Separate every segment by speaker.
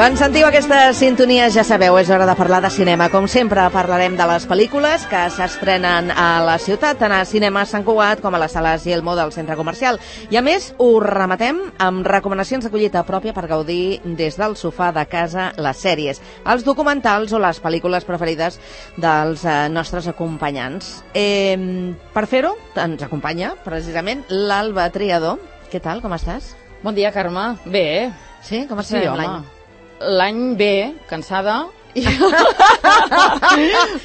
Speaker 1: Quan sentiu aquesta sintonia, ja sabeu, és hora de parlar de cinema. Com sempre, parlarem de les pel·lícules que s'estrenen a la ciutat, tant a Cinema Sant Cugat com a les sales Yelmo del centre comercial. I a més, ho rematem amb recomanacions de collita pròpia per gaudir des del sofà de casa les sèries, els documentals o les pel·lícules preferides dels nostres acompanyants. Per fer-ho, ens acompanya precisament l'Alba Triadó. Què tal, com estàs?
Speaker 2: Bon dia, Carme. Bé.
Speaker 1: Sí? Com estem l'any?
Speaker 2: L'any bé, cansada.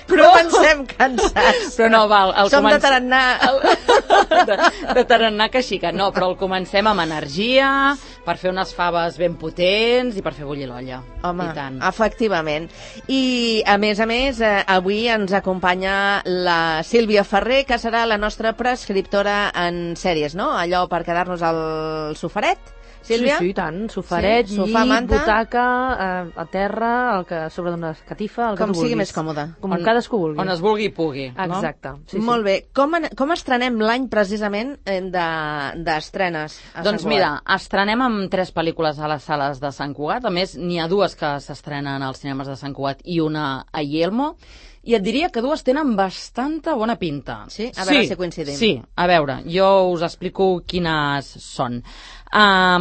Speaker 1: Però pensem cansats.
Speaker 2: Però no, val.
Speaker 1: Som de tarannà.
Speaker 2: De tarannà que sí que no, però el comencem amb energia, per fer unes faves ben potents i per fer bullir l'olla.
Speaker 1: Home,
Speaker 2: i tant.
Speaker 1: Efectivament. I, a més, avui ens acompanya la Sílvia Ferrer, que serà la nostra prescriptora en sèries, no? Allò per quedar-nos al sofaret. Sílvia?
Speaker 3: Sí, tant. Sofaret,
Speaker 1: sí, sofà,
Speaker 3: llit,
Speaker 1: manta,
Speaker 3: butaca, a terra, el que sobre d'una catifa, el que
Speaker 1: com
Speaker 3: tu
Speaker 1: sigui
Speaker 3: vulguis.
Speaker 1: més còmode.
Speaker 3: Com cadascú vulgui.
Speaker 2: On es vulgui i pugui.
Speaker 3: Exacte.
Speaker 2: No?
Speaker 3: Sí, sí.
Speaker 1: Molt bé. Com estrenem l'any precisament d'estrenes a
Speaker 2: Doncs
Speaker 1: Sant
Speaker 2: mira,
Speaker 1: Cugat?
Speaker 2: estrenem amb 3 pel·lícules a les sales de Sant Cugat. A més, n'hi ha 2 que s'estrenen als cinemes de Sant Cugat i una a Yelmo. I et diria que 2 tenen bastanta bona pinta.
Speaker 1: Sí? A veure si coincidim.
Speaker 2: Sí, a veure, jo us explico quines són. La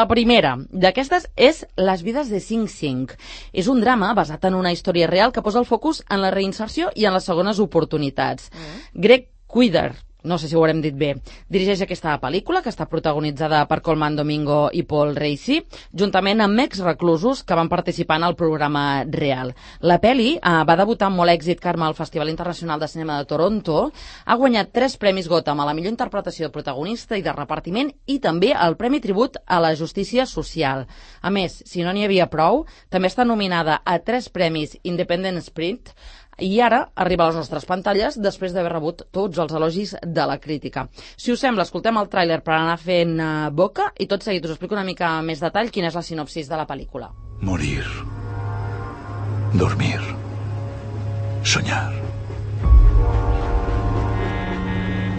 Speaker 2: primera d'aquestes és Les vides de Sing Sing. És un drama basat en una història real que posa el focus en la reinserció i en les segones oportunitats. Greg Quider, no sé si ho haurem dit bé, dirigeix aquesta pel·lícula, que està protagonitzada per Colman Domingo i Paul Raci, juntament amb ex-reclusos que van participar en el programa real. La pel·li va debutar amb molt èxit, Carme, al Festival Internacional de Cinema de Toronto, ha guanyat 3 premis Gotham a la millor interpretació de protagonista i de repartiment i també el Premi Tribut a la Justícia Social. A més, si no n'hi havia prou, també està nominada a 3 premis Independent Spirit, i ara arriba a les nostres pantalles després d'haver rebut tots els elogis de la crítica. Si us sembla, escoltem el tràiler per anar fent boca i tot seguit us explico una mica més detall quina és la sinopsis de la pel·lícula.
Speaker 4: Morir. Dormir. Soñar.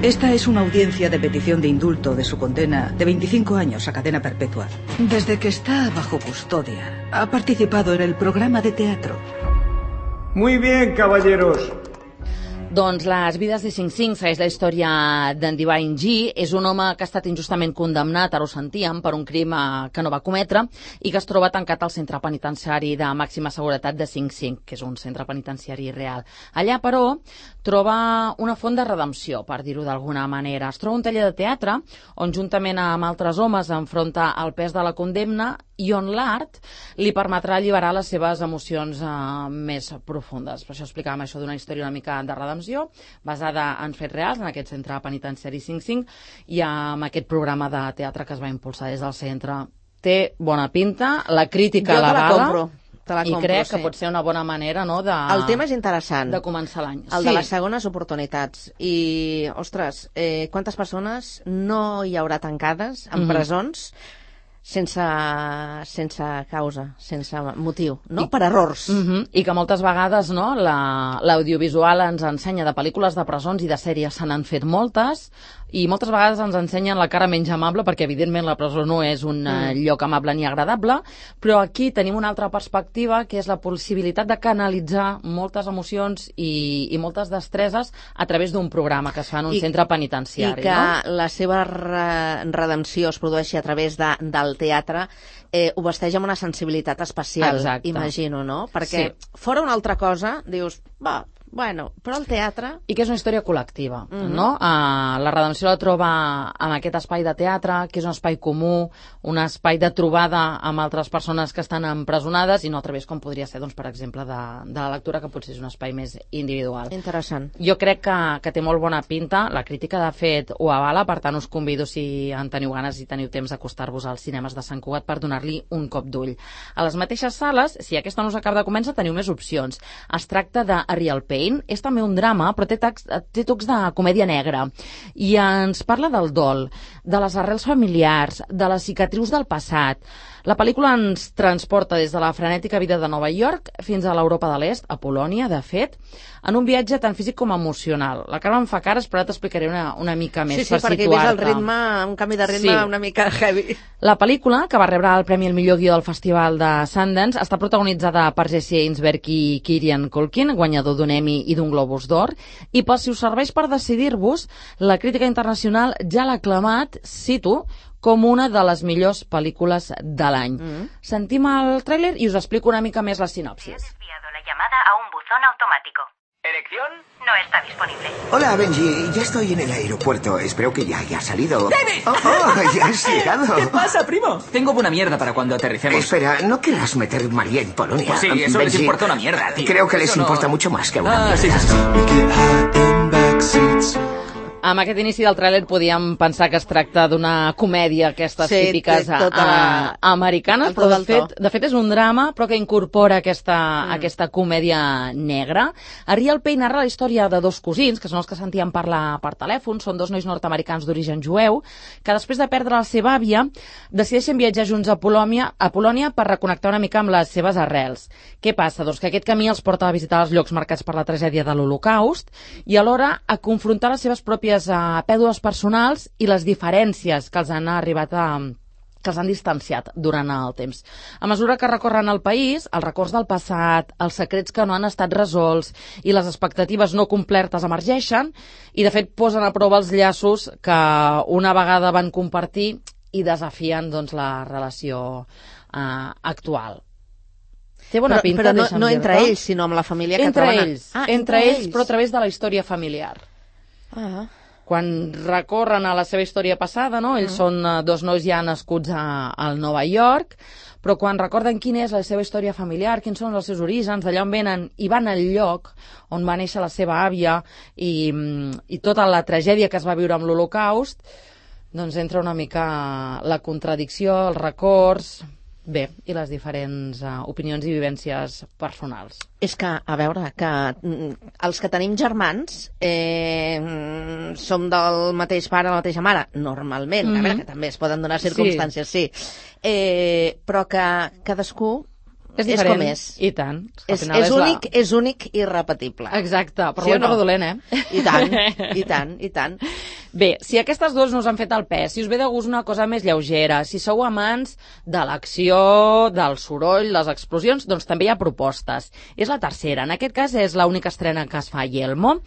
Speaker 5: Esta es una audiencia de petición de indulto de su condena de 25 años a cadena perpetua. Desde que está bajo custodia, ha participado en el programa de teatro.
Speaker 6: Muy bien, caballeros.
Speaker 2: Doncs Les vides de Sing Sing segueix la història d'en Divine G. És un home que ha estat injustament condemnat, ara ho sentíem, per un crim que no va cometre i que es troba tancat al centre penitenciari de màxima seguretat de Sing Sing, que és un centre penitenciari real. Allà, però, troba una font de redempció, per dir-ho d'alguna manera. Es troba un taller de teatre on, juntament amb altres homes, enfronta el pes de la condemna i on l'art li permetrà alliberar les seves emocions més profundes. Per això explicàvem això d'una història una mica de redempció, basada en fets reals, en aquest centre penitenciari Sing Sing, i amb aquest programa de teatre que es va impulsar des del centre. Té bona pinta, la crítica l'avala, i crec que pot ser una bona manera, no,
Speaker 1: El tema és interessant.
Speaker 2: De començar l'any.
Speaker 1: El de les segones oportunitats. I, ostres, quantes persones no hi haurà tancades en presons sense causa, sense motiu, no? Per errors.
Speaker 2: I que moltes vegades, no, l'audiovisual ens ensenya de pel·lícules de presons i de sèries, se n'han fet moltes, i moltes vegades ens ensenyen la cara menys amable, perquè evidentment la presó no és un lloc amable ni agradable, però aquí tenim una altra perspectiva, que és la possibilitat de canalitzar moltes emocions i moltes destreses a través d'un programa que es fa en un centre penitenciari.
Speaker 1: I que la seva redempció es produeixi a través del teatre, ho vesteix amb una sensibilitat especial. Exacte. Imagino, no? Perquè fora una altra cosa, dius, bueno, però el teatre...
Speaker 2: I que és una història col·lectiva, no? La redempció la troba en aquest espai de teatre, que és un espai comú, un espai de trobada amb altres persones que estan empresonades, i no a través com podria ser, doncs, per exemple, de la lectura, que potser és un espai més individual.
Speaker 1: Interessant.
Speaker 2: Jo crec que té molt bona pinta, la crítica de fet ho avala, per tant us convido, si en teniu ganes i teniu temps, d'acostar-vos als cinemes de Sant Cugat per donar-li un cop d'ull. A les mateixes sales, si aquesta no us acaba de convèncer, teniu més opcions. Es tracta de A Real Pain, Kane és també un drama, però té tocs de comèdia negra. I ens parla del dol, de les arrels familiars, de les cicatrius del passat. La pel·lícula ens transporta des de la frenètica vida de Nova York fins a l'Europa de l'Est, a Polònia, de fet, en un viatge tant físic com emocional. La Carme em fa cares, però ara t'explicaré una mica més per situar-te.
Speaker 1: Sí, perquè ves el ritme, un canvi de ritme una mica heavy.
Speaker 2: La pel·lícula, que va rebre el Premi al millor guió del Festival de Sundance, està protagonitzada per Jesse Einsberg i Kieran Culkin, guanyador d'un Emmy i d'un Globus d'Or, i per si us serveix per decidir-vos, la crítica internacional ja l'ha aclamat, cito, com una de les millors pel·lícules de l'any. Sentim el tràiler i us explico una mica més la sinopsis.
Speaker 7: He desviado la llamada a un buzón automático.
Speaker 8: ¿Elección?
Speaker 7: No está disponible.
Speaker 9: Hola, Benji. Ya estoy en el aeropuerto. Espero que ya haya salido.
Speaker 8: ¡David!
Speaker 9: Ya has llegado.
Speaker 8: ¿Qué pasa, primo? Tengo buena mierda para cuando aterricemos.
Speaker 9: Espera, ¿no querrás meter María en Polonia?
Speaker 8: Pues sí, eso les importa una mierda, tío.
Speaker 9: Creo que les
Speaker 8: Eso no-
Speaker 9: importa mucho más que una mierda.
Speaker 8: Sí.
Speaker 2: Amb aquest inici del tràiler podíem pensar que es tracta d'una comèdia, aquestes típiques
Speaker 1: té tota
Speaker 2: americanes,
Speaker 1: el
Speaker 2: però
Speaker 1: to del to.
Speaker 2: de fet és un drama, però que incorpora aquesta comèdia negra. A Real Pay narra la història de dos cosins, que són els que sentíem parlar per telèfon, són dos nois nord-americans d'origen jueu, que després de perdre la seva àvia, decideixen viatjar junts a Polònia per reconnectar una mica amb les seves arrels. Què passa? Doncs que aquest camí els porta a visitar els llocs marcats per la tragèdia de l'Holocaust i alhora a confrontar les seves pròpies pèrdues personals i les diferències que els han arribat que els han distanciat durant el temps. A mesura que recorren el país, els records del passat, els secrets que no han estat resolts i les expectatives no complertes emergeixen i, de fet, posen a prova els llaços que una vegada van compartir i desafien doncs, la relació actual. Té bona pinta,
Speaker 1: però no entre ells, sinó amb la família catalana.
Speaker 2: Entre ells, però a través de la història familiar. Quan recorren a la seva història passada, no? Ells són dos nois ja nascuts al Nova York, però quan recorden quina és la seva història familiar, quins són els seus orígens, d'allà on venen, i van al lloc on va néixer la seva àvia i tota la tragèdia que es va viure amb l'Holocaust, doncs entra una mica la contradicció, els records... Bé, i les diferents opinions i vivències personals.
Speaker 1: És que, a veure, que els que tenim germans som del mateix pare, la mateixa mare, normalment, a veure, que també es poden donar circumstàncies, sí. Però que cadascú
Speaker 2: és diferent.
Speaker 1: Com és.
Speaker 2: I tant.
Speaker 1: És únic i irrepetible.
Speaker 2: Exacte, per dolent o dolent,
Speaker 1: I tant, i tant.
Speaker 2: Bé, si aquestes dues no us han fet el pes, si us ve de gust una cosa més lleugera, si sou amants de l'acció, del soroll, les explosions, doncs també hi ha propostes. És la tercera. En aquest cas és l'única estrena que es fa a Yelmo.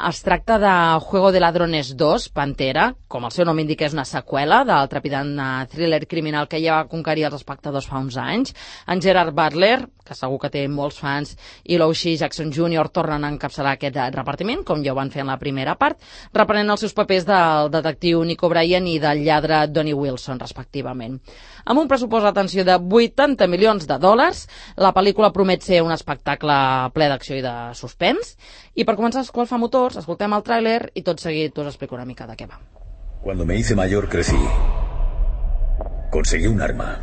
Speaker 2: Es tracta de Juego de Ladrones 2, Pantera, com el seu nom indica és una seqüela del trepidant thriller criminal que ja va conquerir els espectadors fa uns anys. En Gerard Butler, que segur que té molts fans, i l'Oshie Jackson Jr. tornen a encapçalar aquest repartiment, com ja ho van fer en la primera part, reprenent els seus papers del detectiu Nick O'Brien i del lladre Donnie Wilson, respectivament. Amb un pressupost d'atenció de $80 milions, la pel·lícula promet ser un espectacle ple d'acció i de suspens. I per començar a escoltar motors, escoltem el tràiler i tot seguit us explico una mica de què va.
Speaker 4: Cuando me hice mayor crecí. Conseguí un arma.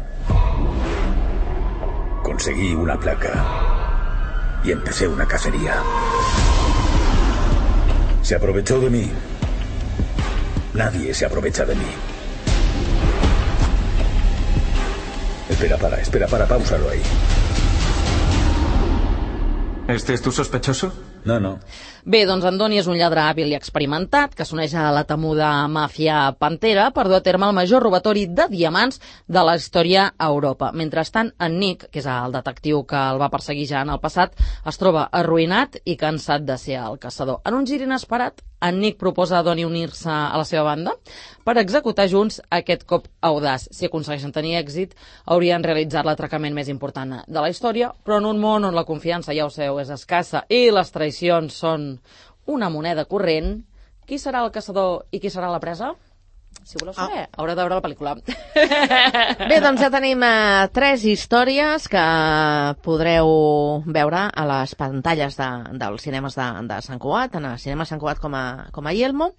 Speaker 4: Conseguí una placa. Y empecé una cacería. Se aprovechó de mí. Nadie se aprovecha de mí. Espera, páusalo ahí.
Speaker 6: ¿Este es tu sospechoso?
Speaker 4: No.
Speaker 2: Bé, doncs en Donnie és un lladre hàbil i experimentat que s'uneix a la temuda màfia Pantera per dur a terme el major robatori de diamants de la història a Europa. Mentrestant, en Nick, que és el detectiu que el va perseguir ja en el passat, es troba arruïnat i cansat de ser el caçador. En un gir inesperat, en Nick proposa a Donnie unir-se a la seva banda per executar junts aquest cop audaç. Si aconsegueixen tenir èxit, haurien realitzat l'atracament més important de la història, però en un món on la confiança, ja ho sabeu, és escassa i les traïcions són una moneda corrent, qui serà el caçador i qui serà la presa? Si voleu saber, haureu de veure la pel·lícula.
Speaker 1: Bé, doncs ja tenim 3 històries que podreu veure a les pantalles dels cinemes de Sant Cugat, en el cinema Sant Cugat com a Yelmo,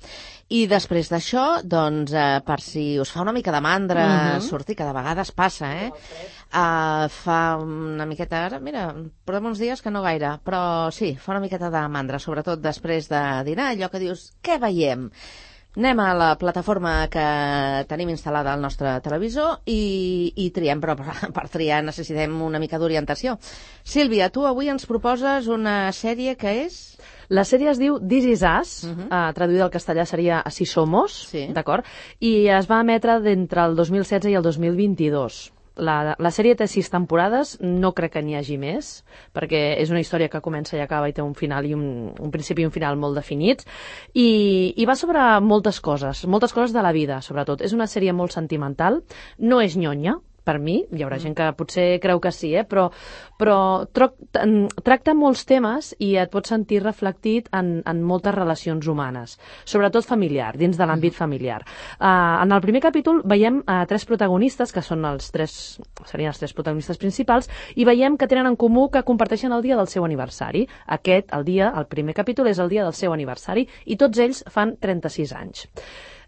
Speaker 1: i després d'això, doncs, per si us fa una mica de mandra sortir, que de vegades passa, fa una miqueta, ara, mira, portem uns dies que no gaire, però sí, fa una miqueta de mandra, sobretot després de dinar, allò que dius, què veiem? Anem a la plataforma que tenim instal·lada al nostre televisor i triem, però per triar necessitem una mica d'orientació. Sílvia, tu avui ens proposes una sèrie que és...
Speaker 3: La sèrie es diu This Is Us, traduïda al castellà seria Así Somos, d'acord? I es va emetre d'entre el 2016 i el 2022. La sèrie té 6 temporades, no crec que n'hi hagi més, perquè és una història que comença i acaba i té un final i un principi i un final molt definits, i va sobre moltes coses de la vida, sobretot. És una sèrie molt sentimental, no és nyonya, per mi, hi haurà gent que potser creu que sí, però tracta molts temes i et pots sentir reflectit en moltes relacions humanes, sobretot familiar, dins de l'àmbit familiar. En el primer capítol veiem 3 protagonistes, que són serien els 3 protagonistes principals, i veiem que tenen en comú que comparteixen el dia del seu aniversari. El primer capítol és el dia del seu aniversari, i tots ells fan 36 anys.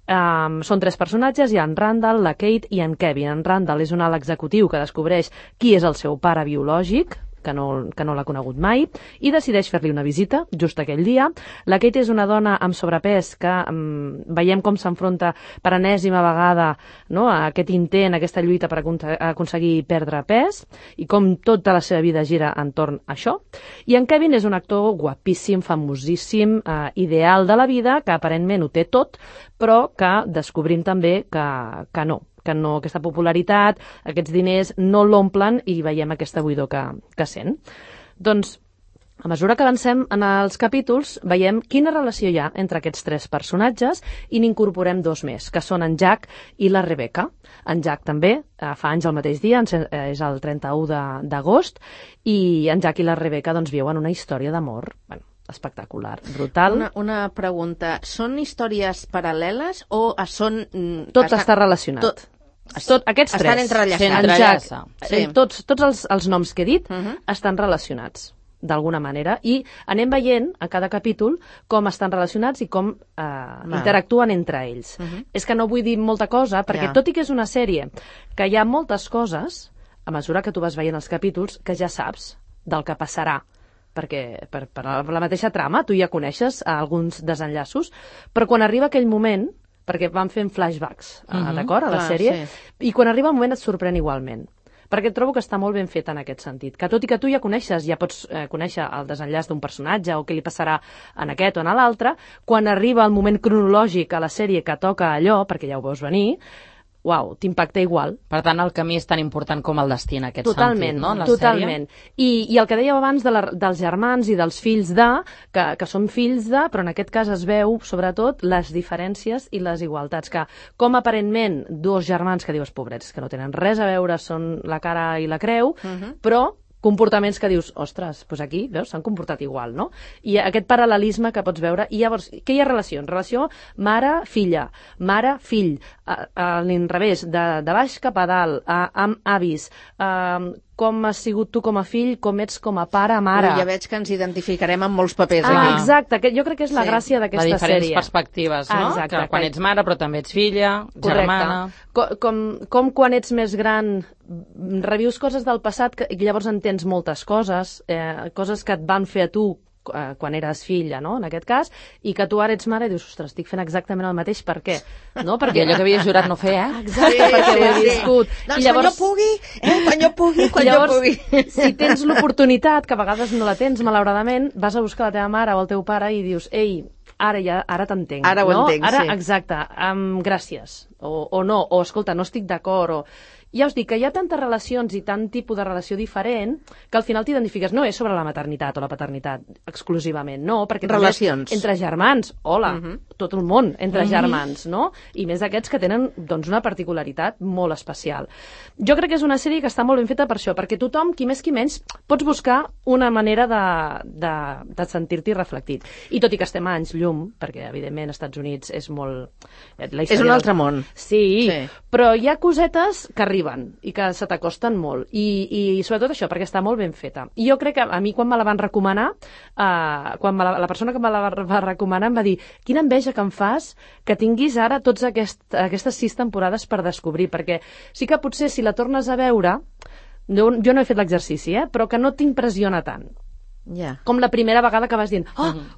Speaker 3: Són 3 personatges, hi ha en Randall, la Kate i en Kevin. En Randall és un alt executiu que descobreix qui és el seu pare biològic, que no l'ha conegut mai, i decideix fer-li una visita just aquell dia. La Kate és una dona amb sobrepès que veiem com s'enfronta per enèsima vegada, no, a aquest intent, a aquesta lluita per aconseguir perdre pes, i com tota la seva vida gira entorn a això. I en Kevin és un actor guapíssim, famosíssim, ideal de la vida, que aparentment ho té tot, però que descobrim també que no, aquesta popularitat, aquests diners no l'omplen i veiem aquesta buidor que sent. Doncs, a mesura que avancem en els capítols, veiem quina relació hi ha entre aquests 3 personatges i n'incorporem 2 més, que són en Jack i la Rebecca. En Jack també fa anys el mateix dia, és el 31 d'agost, i en Jack i la Rebecca doncs viuen una història d'amor, espectacular, brutal.
Speaker 1: Una pregunta, són històries paral·leles o són...
Speaker 3: Tot està relacionat. Aquests 3
Speaker 1: estan entrellaçats.
Speaker 3: Tots els noms que he dit estan relacionats d'alguna manera, i anem veient a cada capítol com estan relacionats i com interactuen entre ells. És que no vull dir molta cosa, perquè tot i que és una sèrie que hi ha moltes coses, a mesura que tu vas veient els capítols, que ja saps del que passarà, perquè per la mateixa trama tu ja coneixes alguns desenllaços, però quan arriba aquell moment, perquè van fent flashbacks, d'acord, a la sèrie, i quan arriba el moment et sorprèn igualment, perquè trobo que està molt ben fet en aquest sentit, que tot i que tu ja coneixes, ja pots conèixer el desenllaç d'un personatge o què li passarà en aquest o en l'altre, quan arriba el moment cronològic a la sèrie que toca allò, perquè ja ho veus venir, uau, t'impacta igual.
Speaker 2: Per tant, el camí és tan important com el destí en aquest sentit, no?
Speaker 3: Totalment. I el que dèieu abans dels germans i dels fills que són fills però en aquest cas es veu, sobretot, les diferències i les igualtats, que com aparentment 2 germans que dius, pobrets, que no tenen res a veure, són la cara i la creu, però comportaments que dius, ostres, doncs aquí, veus, s'han comportat igual, no? I aquest paral·lelisme que pots veure, i llavors, què hi ha relació? Relació mare-filla, mare-fill, a l'inrevés, de baix cap a dalt, amb avis, com has sigut tu com a fill, com ets com a pare, mare.
Speaker 1: Ja veig que ens identificarem amb molts papers aquí.
Speaker 3: Exacte, jo crec que és la gràcia d'aquesta sèrie.
Speaker 2: De diferents perspectives, no? Exacte, que quan ets mare, però també ets filla, germana...
Speaker 3: Com quan ets més gran revius coses del passat i llavors entens moltes coses, coses que et van fer a tu quan eres filla, no?, en aquest cas, i que tu ara ets mare i dius, ostres, estic fent exactament el mateix, per què? No? Perquè
Speaker 2: allò que havies jurat no fer,
Speaker 3: Exacte, perquè ho he viscut.
Speaker 1: Doncs llavors, quan jo pugui.
Speaker 3: Si tens l'oportunitat, que a vegades no la tens, malauradament, vas a buscar la teva mare o el teu pare i dius, ei, ara t'entenc.
Speaker 1: Ara ho entenc, sí.
Speaker 3: Exacte, gràcies, o no, o escolta, no estic d'acord, o... Ja us dic que hi ha tantes relacions i tant tipus de relació diferent que al final t'identifiques. No és sobre la maternitat o la paternitat exclusivament, no, perquè
Speaker 1: relacions
Speaker 3: entre germans, hola, tot el món entre germans, no? I més aquests que tenen doncs, una particularitat molt especial. Jo crec que és una sèrie que està molt ben feta per això, perquè tothom, qui més qui menys, pots buscar una manera de sentir-t'hi reflectit. I tot i que estem a anys llum, perquè evidentment als Estats Units és molt...
Speaker 1: És un altre món.
Speaker 3: Sí, però hi ha cosetes que arriben i que se t'acosten molt. I sobretot això, perquè està molt ben feta. I jo crec que a mi quan me la van recomanar, la persona que me la va recomanar em va dir quina enveja que em fas que tinguis ara totes aquestes 6 temporades per descobrir, perquè sí que potser si la tornes a veure, jo no he fet l'exercici, però que no t'impressiona tant.
Speaker 1: Yeah.
Speaker 3: Com la primera vegada que vas dient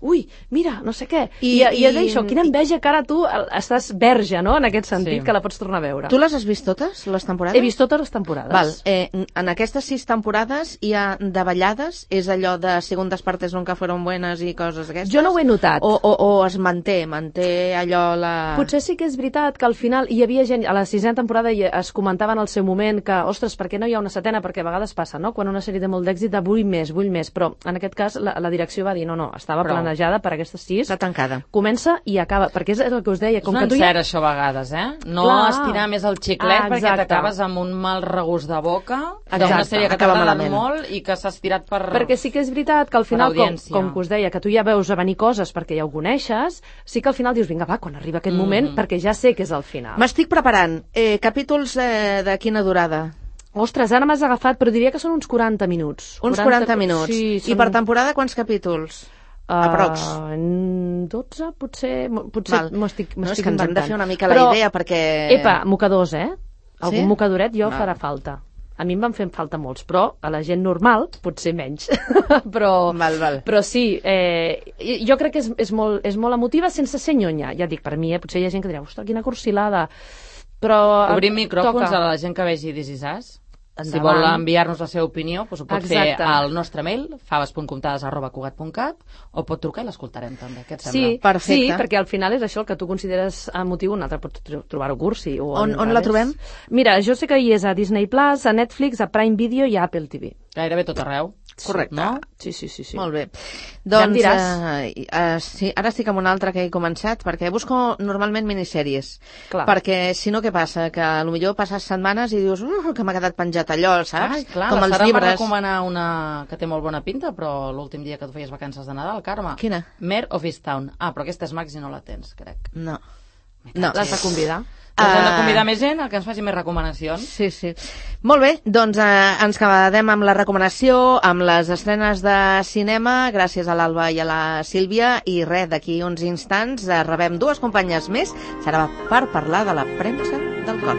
Speaker 3: ui, mira, no sé què i és això, quina enveja que ara tu estàs verge, no?, en aquest sentit, que la pots tornar a veure.
Speaker 1: Tu les has vist totes, les temporades?
Speaker 3: He vist totes les temporades.
Speaker 1: Val. En aquestes 6 temporades hi ha davallades? És allò de segundas partes nunca fueron buenas i coses d'aquestes?
Speaker 3: Jo no ho he notat.
Speaker 1: O es manté allò la...
Speaker 3: Potser sí que és veritat que al final hi havia gent, a la 6a temporada es comentava en el seu moment que, ostres, per què no hi ha una 7a? Perquè a vegades passa, no?, quan una sèrie té molt d'èxit de vull més, però en aquest cas la direcció va dir no, estava planejada per aquestes 6.
Speaker 1: Està tancada.
Speaker 3: Comença i acaba, perquè és el que us deia.
Speaker 2: És un encert, això, a vegades, No estirar més el xiclet perquè t'acabes amb un mal regust de boca d'una sèrie que t'ha agradat molt i que s'ha estirat per...
Speaker 3: Perquè sí que és veritat que al final, com que us deia, que tu ja veus a venir coses perquè ja ho coneixes, sí que al final dius, vinga, va, quan arriba aquest moment, perquè ja sé que és el final.
Speaker 1: M'estic preparant. Capítols de quina durada?
Speaker 3: Ostres, ara m'has agafat, però diria que són uns 40 minuts.
Speaker 1: Uns 40 minuts.
Speaker 3: Sí,
Speaker 1: I per temporada quants capítols? Aprox?
Speaker 3: 12, potser m'ho estic inventant.
Speaker 1: És que ens hem de fer una mica la idea, perquè...
Speaker 3: Epa, mocadors, Algun mocadoret jo farà falta. A mi em van fer falta molts, però a la gent normal potser menys. Però sí, jo crec que és molt emotiva sense ser nyonya. Ja dic, per mi, potser hi ha gent que dirà, ostres, quina cursilada. Però
Speaker 2: obrim micròfons a la gent que vegi This Is Us. Si vol enviar-nos la seva opinió, doncs ho pot fer al nostre mail, faves.comptades@cugat.cat, o pot trucar i l'escoltarem també. Què et sembla?
Speaker 1: Perfecte.
Speaker 3: Sí, perquè al final és això, el que tu consideres emotiu, un altre pot trobar-ho cursi.
Speaker 1: On la trobem?
Speaker 3: Mira, jo sé que hi és a Disney+, a Netflix, a Prime Video i a Apple TV.
Speaker 2: Gairebé tot arreu.
Speaker 1: Correcte.
Speaker 2: No?
Speaker 3: Sí.
Speaker 1: Molt bé.
Speaker 3: Ja em diràs.
Speaker 1: Sí, ara estic amb una altra que he començat, perquè busco normalment minissèries.
Speaker 3: Clar.
Speaker 1: Perquè si no, què passa? Que potser passes setmanes i dius que m'ha quedat penjat allò, saps?
Speaker 2: Ai, clar,
Speaker 1: com
Speaker 2: els
Speaker 1: els llibres.
Speaker 2: va recomanar una que té molt bona pinta, però l'últim dia que tu feies vacances de Nadal, Carme.
Speaker 1: Quina?
Speaker 2: Mare of Easttown. Però aquesta és Max i no la tens, crec.
Speaker 1: No.
Speaker 3: L'has de convidar.
Speaker 2: Doncs hem de convidar més gent a que ens faci més recomanacions.
Speaker 1: Sí. Molt bé, doncs ens quedem amb la recomanació, amb les estrenes de cinema, gràcies a l'Alba i a la Sílvia, i res, d'aquí uns instants rebem 2 companyes més, serà per parlar de la premsa del cor.